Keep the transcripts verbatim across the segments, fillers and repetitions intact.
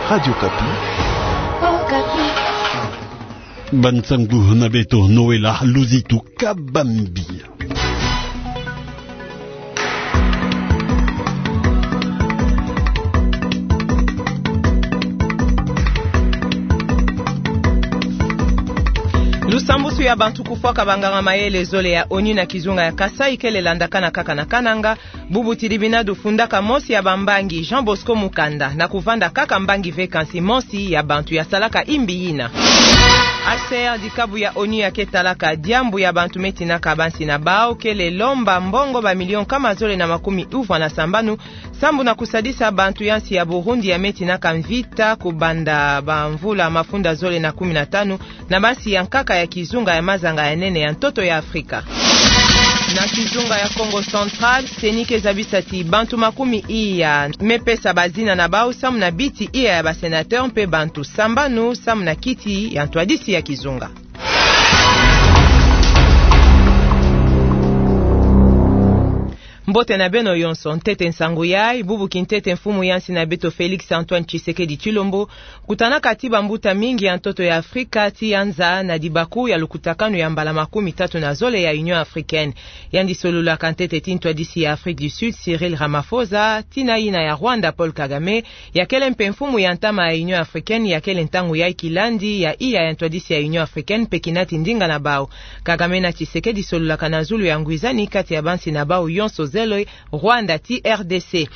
Radio Okapi. Okapi. Ba nsang'u na beto Noëlla Luzitu Kabambi. Lusambusu ya bantu kufwaka banganga-mayele zole ya ONU na kizunga ya Kasaï kele landakana kaka na Kananga, bubu tilibinadu fundaka mosi ya bambangi, Jean Bosco Mukanda, na kuvanda kaka mbangi ve kansi mosi ya bantu yasalaka imbi yina. H C R, dikabu ya ONU ya ke talaka diambu ya bantu me tinaka bansi na bau, kele lomba mbongo ba million nkama zole na makumi uvwa na sambanu, sambu na kusadisa bantu ya nsi ya Burundi ya me tinaka mvita kubanda bamvula mafunda zole na kumi na tanu, na bansi ya nkaka ya kizunga ya mazanga ya nene ya ntoto ya Afrika. Na kizunga ya Kongo Central, CENI ke zabisa ti bantu makumi iya me pesa bazina na bau samu na biti iya ya ba sénateur mpe bantu sambanu samu na kiti ya ntwadisi ya kizunga. Mbote na beno yonso, ntete nsangu yai, bubu kintete mfumu ya nsi na beto Félix Antoine Tshisekedi Tshilombo kutanaka ti bambuta mingi ya ntoto ya Afrika ti yanza na dibaku ya lukutakanu ya mbala makumi tatu na zole ya Union Africaine. Yandi sololaka ntete ti ntwadisi ya Afrique du Sud, Cyril Ramaphosa, tina yina ya Rwanda, Paul Kagame, ya kele mpe mfumu ya ntama ya Union Africaine, ya kele ntangu yai kilandi ya iya ya ntwadisi ya Union Africaine mpe kinati ndinga na bau. Kagame na Tshisekedi sololaka na zulu ya ngwizani kati ya bansi na bau yonso zole, Rwanda ti R D C.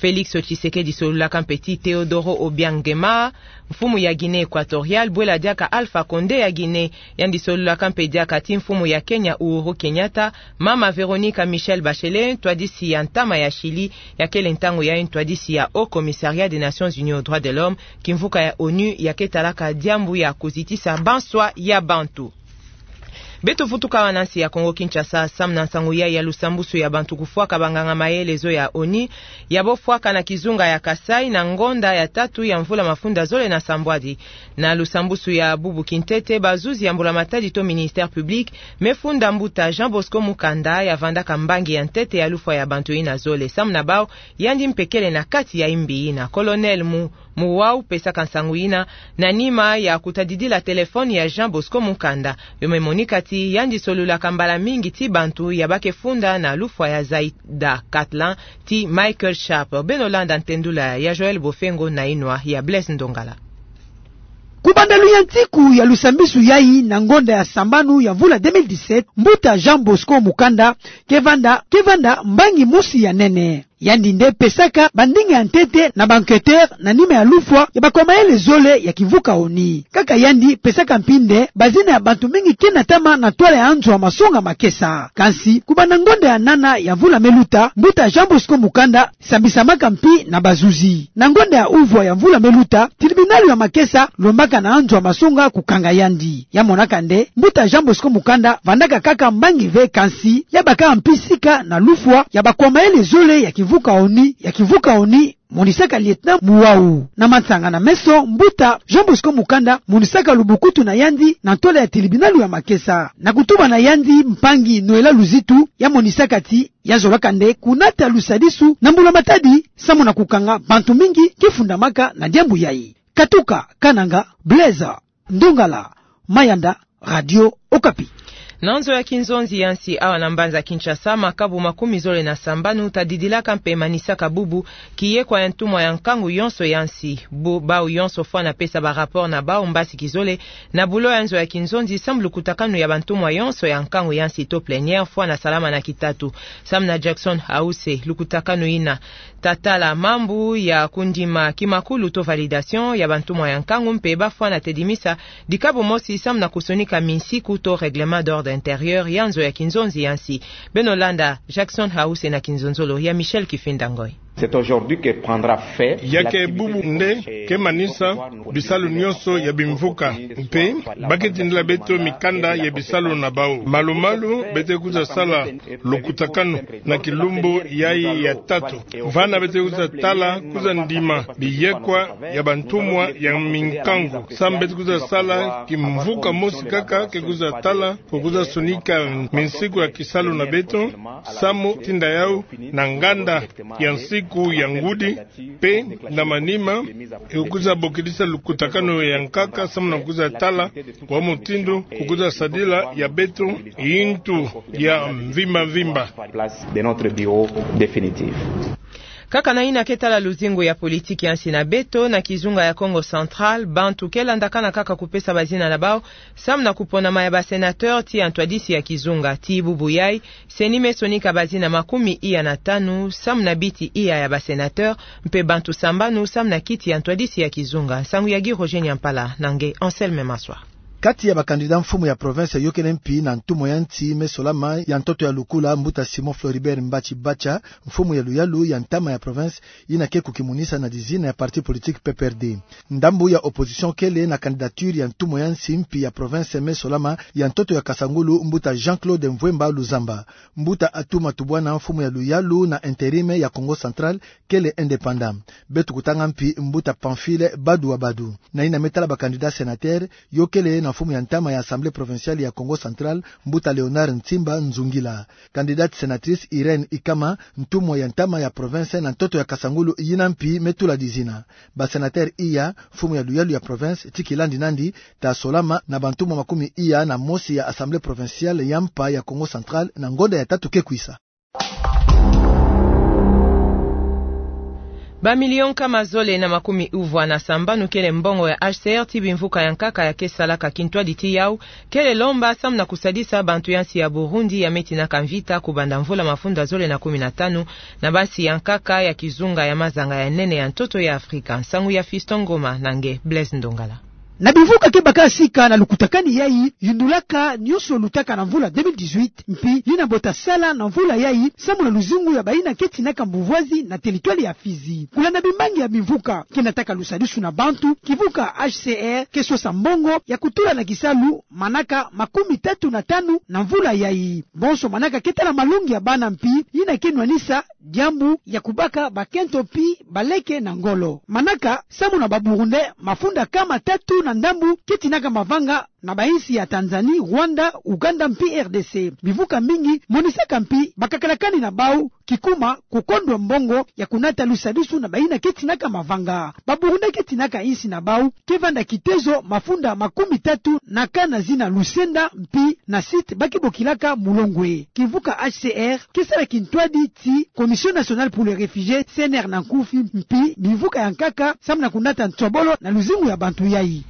Félix Tshisekedi sololaka mpe ti Teodoro Obiang Nguema, mfumu ya Guinée Équatoriale, bwela diaka Alpha Condé ya Guinée. Yandi sololaka mpe diaka ti mfumu ya Kenya Uhuru Kenyatta, mama Veronica Michelle Bachelet, ntwadisi ya ntama ya Chili, ya kele ntangu yai ntwadisi ya Haut Commissariat des Nations Unies aux Droits de l'Homme, kimvuka ya ONU ya ke talaka diambu ya kuzitisa banswa ya bantu. Beto vutuka awa na nsi ya Kongo Kinshasa, samu na nsangu yai ya lusambusu ya bantu kufwaka banganga-mayele zo ya ONU, ya bofwaka na kizunga ya Kasaï na ngonda ya tatu ya mvula mafunda zole na sambwadi. Na lusambusu ya bubu kintete, bazuzi ya mbula-matadi to ministère public me funda mbuta Jean Bosco Mukanda ya vandaka mbangi ya ntete ya lufwa ya bantu yina zole. Samu na bau, yandi mpe kele na kati ya imbi yina. Colonel Mu Muwau pesaka nsangu yina na nima ya kutadidila téléphone ya Jean Bosco Mukanda. Yo me monika ti yandi sololaka mbala mingi ti bantu ya ba ke funda na lufwa ya Zaïda Catalan ti Michael Sharp. Beno landa ntendula ya Joël Bofengo na inwa ya Blaise Ndongala. Ku banda luyantiku ya lusambisu yai na ngonda ya sambanu ya mvula deux mille dix-sept, mbuta Jean Bosco Mukanda ke vanda, ke vanda mbangi mosi ya nene. Yandi nde pesaka bandinga ya ntete na ba enquêteurs na nima ya lufwa ya bakwa mayele zole ya kimvuka ONU. Kaka yandi pesaka mpi nde bazina ya bantu mingi ke natama na ntwala ya nzo ya masonga makesa. Kansi, ku banda ngonda ya nana ya mvula me luta, mbuta Jean Bosco Mukanda sambisamaka mpi na bazuzi. Na ngonda ya uvwa ya mvula me luta, tilibinalu ya makesa lombaka na nzo ya masonga kukanga yandi. Ya monaka nde, mbuta Jean Bosco Mukanda vandaka kaka mbangi ve kansi, ya baka mpi sika na lufwa ya bakwa mayele zole ya kimvuka ONU, ya kimvuka ONU, monisaka lieutenant Muwau. Na mansanga na meso, mbuta Jean Bosco Mukanda monisaka lubukutu na yandi na ntwala ya tilibinalu ya makesa. Na kutuba na yandi, mpangi Noëlla Luzitu ya monisaka ti ya zolaka nde kunata lusadisu na mbula-matadi, samu na kukanga bantu mingi ke fundamaka na diambu yai. Katuka Kananga, Blaise Ndongala, Mayanda, Radio Okapi. Na nzo ya kinzonzi ya nsi awa na mbanza Kinshasa, makabu makumi zole na sambanu tadidilaka mpe manisaka bubu kiyekwa ya ntumwa ya nkangu yonso ya nsi. Bu-, bau yonso fwana pesa ba rapport na bau mbasi kizole na bulo ya nzo ya kinzonzi, samu lukutakanu ya bantumwa yonso ya nkangu ya nsi to plénière fwana salama na kitatu. Samu na Jackson Hause, lukutakanu yina ta tala mambu ya kundima kimakulu to validation ya bantumwa ya nkangu mpe ba fwana tedimisa dikabu mosi samu na kusonika minsiku to règlement d'ordre intérieur ya nzo ya kinzonzi ya nsi. Beno landa Jackson Hause na kinzonzolo ya Michel Kifinda Ngoi. C'est aujourd'hui que prendra fin. Ya ke bubu nde ke manisa bisalu nyonso ya bimvuka, mpe ba ke tindila beto mikanda ya bisalu na bau. Malu-malu beto ke kwiza sala lukutakanu na kilumbu yai ya tatu. Vana beto ke kwiza tala, kwiza ndima biyekwa ya bantumwa ya minkangu. Samu beto ke kwiza sala kimvuka mosi kaka, ke kwiza tala, ke kwiza sonika minsiku ya kisalu na beto, samu tinda yau na nganda ya nsiku Ku ya ngudi, mpe na manima, e kwiza bokidisa lukutakanu ya nkaka, samu na kwiza tala kwa mutindu ku kwiza sadila ya beto yintu ya mvimba mvimba. Kaka na yina ke tala luzingu ya politiki ya nsi na beto, na kizunga ya Kongo Central, bantu ke landakana kaka kupesa bazina na bau samu na kuponama ya ba sénateur ti ya ntwadisi ya kizunga. Tii bubu yai, CENI me sonika bazina makumi iya na tanu samu na biti iya ya ba sénateur, mpe bantu sambanu samu na kiti ya ntwadisi ya kizunga. Nsangu ya Guy Roger Nyampala na nge Anselme Maswa. Kati ya ba candidat mfumu ya province yôkele mpi na ntumwa ya nsi me solama ya ntoto ya lukula, mbuta Simon Floribert Mbatshi Bacha, mfumu ya luyalu ya ntama ya province, yina ke kukimunisa na dizina ya parti politique P P R D. Ndambu ya opposition kele na candidature ya ntumwa ya nsi mpi ya province me solama ya ntoto ya Kasangulu, mbuta Jean-Claude Mvuemba Luzamba. Mbuta Atou Matubuana, mfumu ya luyalu na intérim ya Kongo Central, kele indépendant. Beto kutanga mpi mbuta Pamphile Badu wa Badu. Na yina me tala ba candidat sénateur, yôkele na mfumu ya ntama ya Assemblée provinciale ya Kongo Central, mbuta Léonard Ntsimba Nzungila. Candidate sénatrice Irène Ikama, ntumwa ya ntama ya province na ntoto ya Kasangulu, yina mpi me tula dizina. Ba sénateur iya, mfumu ya luyalu ya province, ti kilandi nandi, ta solama na ba ntumwa makumi iya na mosi ya Assemblée provinciale ya mpa ya Kongo Central na ngonda ya tatu ke kwisa. Ba million nkama zole na makumi uvwa na sambanu kele mbongo ya H C R ti bimvuka ya nkaka ya ke salaka kintwadi ti yau, kele lomba samu na kusadisa bantu ya nsi ya Burundi ya me tinaka mvita kubanda mvula mafunda zole na kumi na tanu, na bansi ya nkaka ya kizunga ya mazanga ya nene ya ntoto ya Afrika. Nsangu ya Fiston Ngoma na nge Blaise Ndongala. Na bimvuka ke baka sika na lukutakanu yai, yundulaka nionso lutaka na mvula deux mille dix-huit, mpi yina bo ta sala na mvula yai, samu na luzingu ya bayina ke tinaka mbuvwazi na territoire ya Fizi. Kulanda bimbangi ya bimvuka ke nataka lusadisu na bantu, kimvuka H C R ke sosa mbongo ya kutula na kisalu, manaka makumi tatu na tanu na mvula yai. Bonso manaka ke tala malongi ya bana mpi, yina ke nwanisa diambu ya kubaka bakento mpi baleke na ngolo. Manaka, samu na ba Burundais, mafunda nkama tatu na ndambu ke tinaka mavanga na bainsi ya Tanzanie, Rwanda, Ouganda mpi R D C. Bimvuka mingi monisaka mpi bakakalakani na bau kikuma kukondwa mbongo ya kunata lusadisu na bayina ke tinaka mavanga. Ba Burundais ke tinaka insi na bau ke vanda kitezo mafunda makumi tatu na kana zina lusenda mpi na site ba ke bokilaka Mulongwe. Kimvuka H C R ke sala kintwadi ti Commission Nationale pour les Réfugiés, C N R na nkufi, mpi bimvuka ya nkaka samu na kunata nsobolo na luzingu ya bantu yai.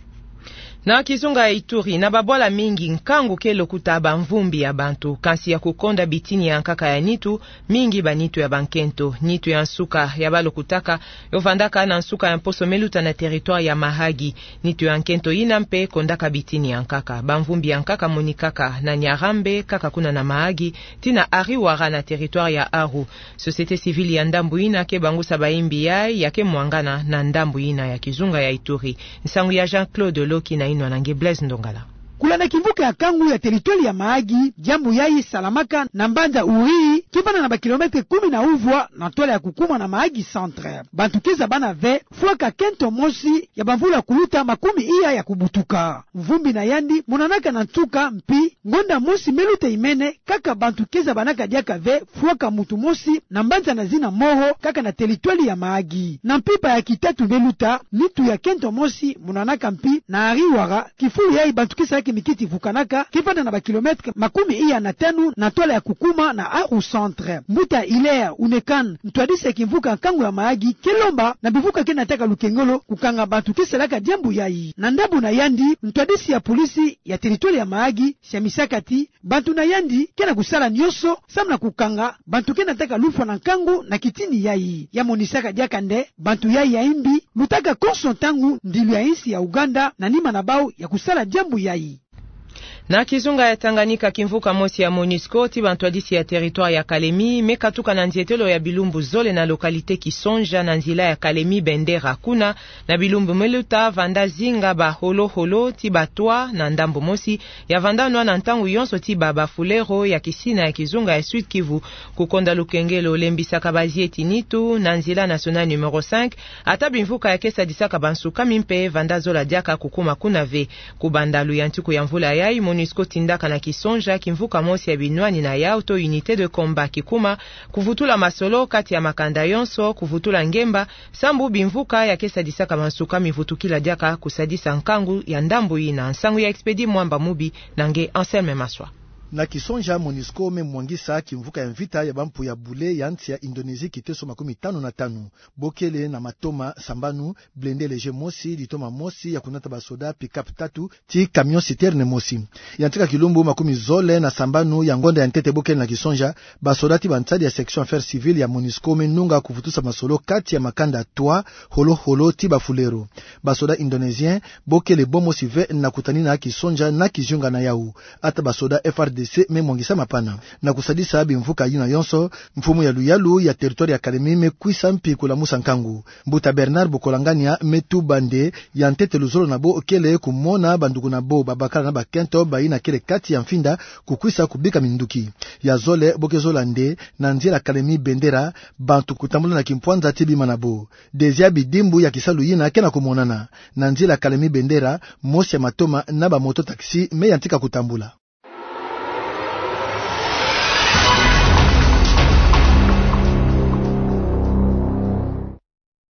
Na kizunga ya Ituri, na babwala mingi, nkangu ke lokuta bamvumbi ya bantu, kansi ya kukonda bitini ya nkaka ya nitu, mingi banitu ya bankento. Nitu ya nsuka ya balokutaka yo vandaka na nsuka ya mposo me luta na territoire ya Mahagi. Nitu ya nkento yina mpe kondaka bitini ya nkaka. Bamvumbi ya nkaka monikaka na Nyarambe, kaka kuna na Mahagi, tii na Ariwara na territoire ya Aru. Société civile ya ndambu yina ke bangusa bayimbi yai ya ke mwangana na ndambu yina ya kizunga ya Ituri. Nsangu ya Jean-Claude Loki na yinwa na nge Blaise Ndongala. Kulanda kimvuka ya nkangu ya territoire ya Mahagi, diambu yai salamaka na mbanza Uri, ke vanda na ba kilomètre kumi na uvwa na ntwala ya kukuma na Mahagi Centre. Bantu ke zabana ve fwaka kento mosi ya bamvula kuluta makumi iya ya kubutuka. Mvumbi na yandi monanaka na nsuka mpi ngonda mosi me luta imene, kaka bantu ke zabanaka diaka ve fwaka muntu mosi na mbanza na zina Moro, kaka na territoire ya Mahagi. Na mpimpa ya kitatu me luta, nitu ya kento mosi monanaka mpi na Ariwara, kifulu yai bantu ke salaka kimikiti vukanaka, ke vanda na ba kilomètre makumi iya na tanu na ntwala ya kukuma na Aru Centre. Mbuta Hilaire Unekan, ntwadisi ya kimvuka nkangu ya Mahagi, ke lomba na bimvuka ke nataka lukengolo kukanga bantu ke salaka diambu yai. Na ndambu na yandi, ntwadisi ya polisi ya territoire ya Mahagi, siamisaka ti bantu na yandi ke na kusala nionso samu na kukanga bantu ke nataka lufwa na nkangu na kitini yai. Ya monisaka diaka nde bantu yai ya imbi lutaka konso ntangu ndilu ya insi ya Ouganda na nima na bau ya kusala diambu yai. Na kizunga ya Tanganyika, kimvuka mosi ya MONUSCO ti bantwadisi ya territoire ya Kalemi me katuka na nzietelo ya bilumbu zole na localité Kisonja na nzila ya Kalemi Bendera. Kuna, na bilumbu me luta, vanda zinga ba holo-holo ti ba toit na ndambu mosi, ya vanda nwa na ntangu yonso ti ba bafulero ya kisina ya kizunga ya Sud-Kivu. Kukonda lukengelo lembisaka bazieti nitu na nzila nationale numéro cinq, ata bimvuka ya ke sadisaka bansukami mpe vanda zola diaka kukuma kuna ve. Kubanda luyantiku ya mvula yai, MONUSCO tindaka na Kisonja kimvuka mosi ya binwani na yawu to unité de combat kikuma kuvutula masolo kati ya makanda yonso, kuvutula ngemba, sambu bimvuka ya ke sadisaka mansuka mivutukila diaka kusadisa nkangu ya ndambu yina. Nsangu ya Expédit Mwamba Mubi na nge Anselme Maswa. Na Kisonja, MONUSCO me mwangisa kimvuka ya mvita ya bampu ya bule ya nsi ya Indonésie, kiteso makumi tanu na tanu. Bo kele na matoma sambanu, blindé léger mosi, litoma mosi ya kunata basoda, pick-up tatu, ti camion citerne mosi. Ya ntika kilumbu makumi zole na sambanu ya ngonda ya ntete bo kele na Kisonja, basoda ti bansadi ya section affaires civiles ya MONUSCO me nunga kuvutusa masolo kati ya makanda trois, holo-holo ti bafulero. Basoda indonésiens bo kele bo mosi ve na kutanina Kisonja na kizunga na yawu. Ata basoda F R D C me mwangisa mapana. Na kusadisa bimvuka yina yonso, mfumu ya luyalu ya territoire ya Kalemie me kwisa mpi kulamusa nkangu. Mbuta Bernard Bokolangania me tuba nde ya ntete luzolo na bo kele kumona banduku na bo, babakala na bakento bayina kele kati ya mfinda, kukwisa kubika minduki. Ya zole, bo ke zola nde, na nzila Kalemie-Bendera, bantu kutambula na kimpwanza ti bima na bo. Deuxième bidimbu ya kisalu yina ke na kumonana. Na nzila Kalemie-Bendera, mosi ya matoma na bamoto-taxi me yantika kutambula.